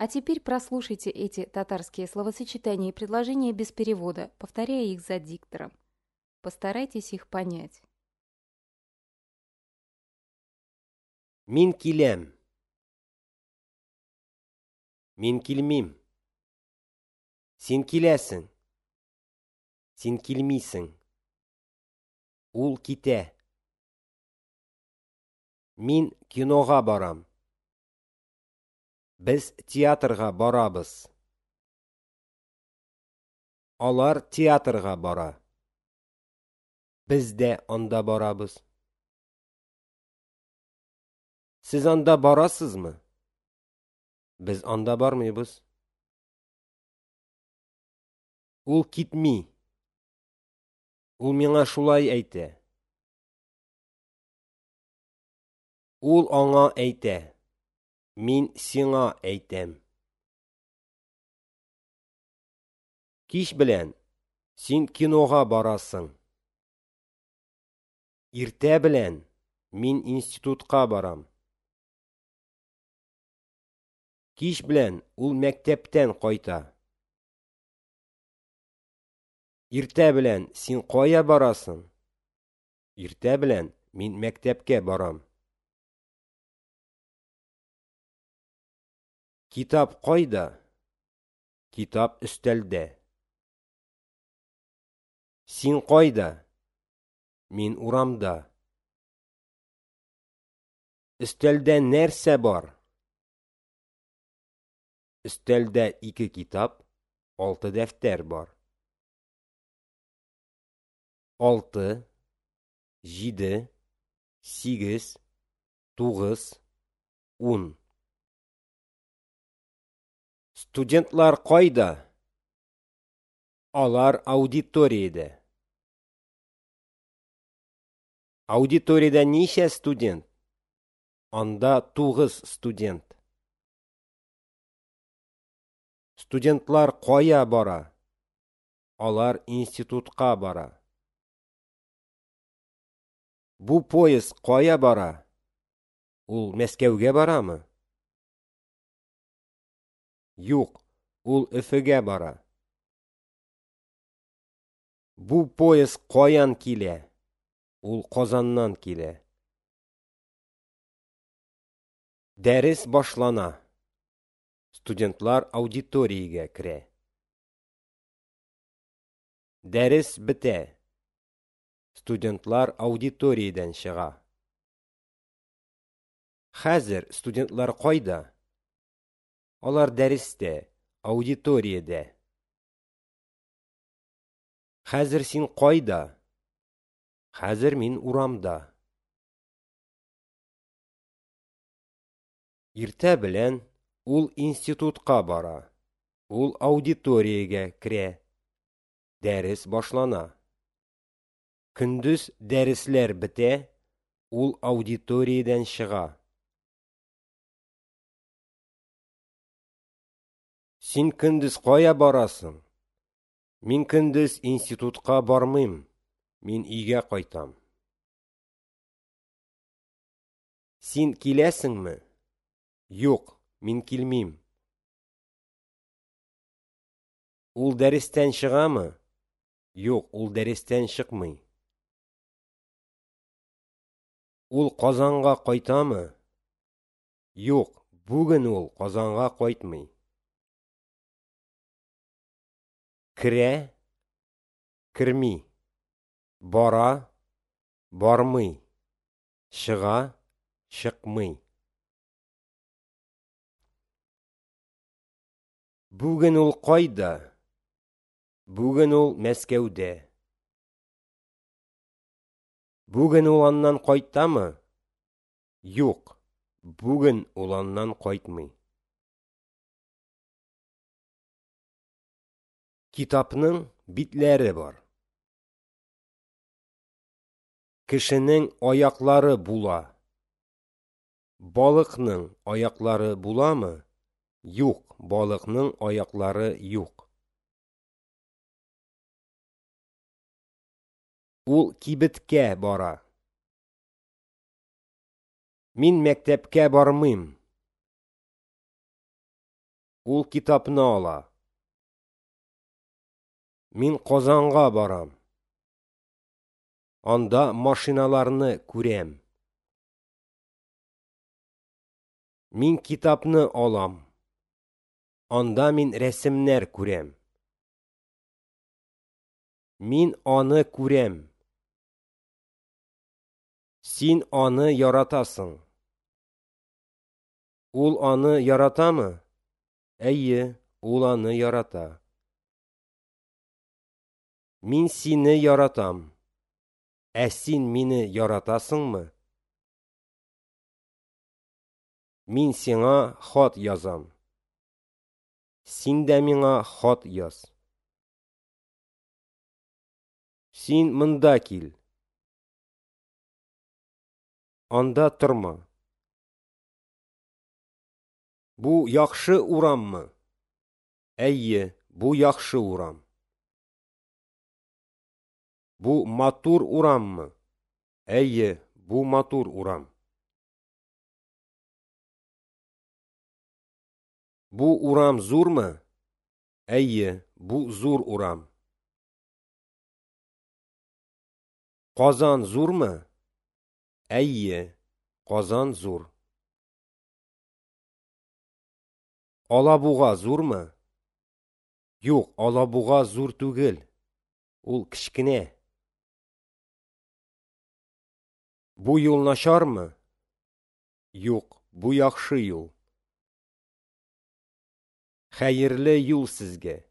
А теперь прослушайте эти татарские словосочетания и предложения без перевода, повторяя их за диктором. Постарайтесь их понять. Мин киләм. Мин килмим. Син киләсең. Син килмисең. Ул китә. Мин кинога барам. Без театрга барабыз. Алар театрга бара. Без дә анда барабыз. Сез анда барасызмы? Без анда бармыйбыз. Ул китми. Ул миңа шулай әйтә. Ул аңа әйтә. Мин сиңа әйтәм. Кич белән син кинога барасың. Иртә белән мин институтка барам. Кич белән ул мәктәптән кайта. Иртә белән син кая барасың? Иртә белән мин мәктәпкә барам. Китап кайда? Китап өстәлдә. Син кайда? Мин урамда. Өстәлдә нәрсә бар? Өстәлдә ике китап, алты дәфтәр бар. 6, 7, 8, 9, 10. Студентлар кайда? Алар аудиториядә. Аудиториядә ничә студент? Анда 9 студент. Студентлар кая бара? Алар институтка бара. Бу поезд кая бара? Ул Мәскәүгә барамы? Юк, ул Өфегә бара. Бу поезд каян килә? Ул Казаннан килә. Дәрес башлана. Студентлар аудиториягә керә. Дәрес бетә. Студентлар аудиториядән чыга. Хәзер студентлар кайда? Алар дәрестә, аудиториядә. Хәзер син кайда? Хәзер мин урамда. Иртә белән ул институтка бара. Ул аудиториягә керә. Дәрес башлана. Көндез дәресләр бетә, ул аудиториядән чыга. Син көндез кая барасың? Мин көндез институтка бармыйм. Мин өйгә кайтам. Син киләсеңме? Юк, мин килмим. Ул дәрестән чыгамы? Юк, ул дәрестән чыкмый. Ул Казанга кайтамы? Юк, бүген ул Казанга кайтмый. Керә, керми. Бара, бармый. Чыга, чыкмый. Бүген ул кайда? Бүген ул Мәскәүдә. Бүген ул аннан кайтамы? Юк, бүген ул аннан кайтмый. Китапның битләре бар. Кешенең аяклары була. Балыкның аяклары буламы? Юк, балыкның аяклары юк. Ул кибеткә бара. Мин мәктәпкә бармыйм. Ул китапны ала. Мин Казанга барам. Анда машиналарны күрәм. Мин китапны алам. Анда мин рәсемнәр күрәм. Мин аны күрәм. Син аны яратасың. Ул аны яратамы? Әйе, ул аны ярата. Мин сине яратам. Ә син мине яратасыңмы? Мин сиңа хат язам. Син дә миңа хат яз. Син монда кил. Анда торма. Бу яхшы ураммы? Әйе, бу яхшы урам. Бу матур ураммы? Әйе, бу матур урам. Бу урам зурмы? Әйе, бу зур урам. Казан зурмы? Әйе, Казан зур. Алабуга зурмы? Юк, Алабуга зур түгел. Ул кечкенә. Бу юл начармы? Юк, бу яхшы юл. Хәерле юл сезгә.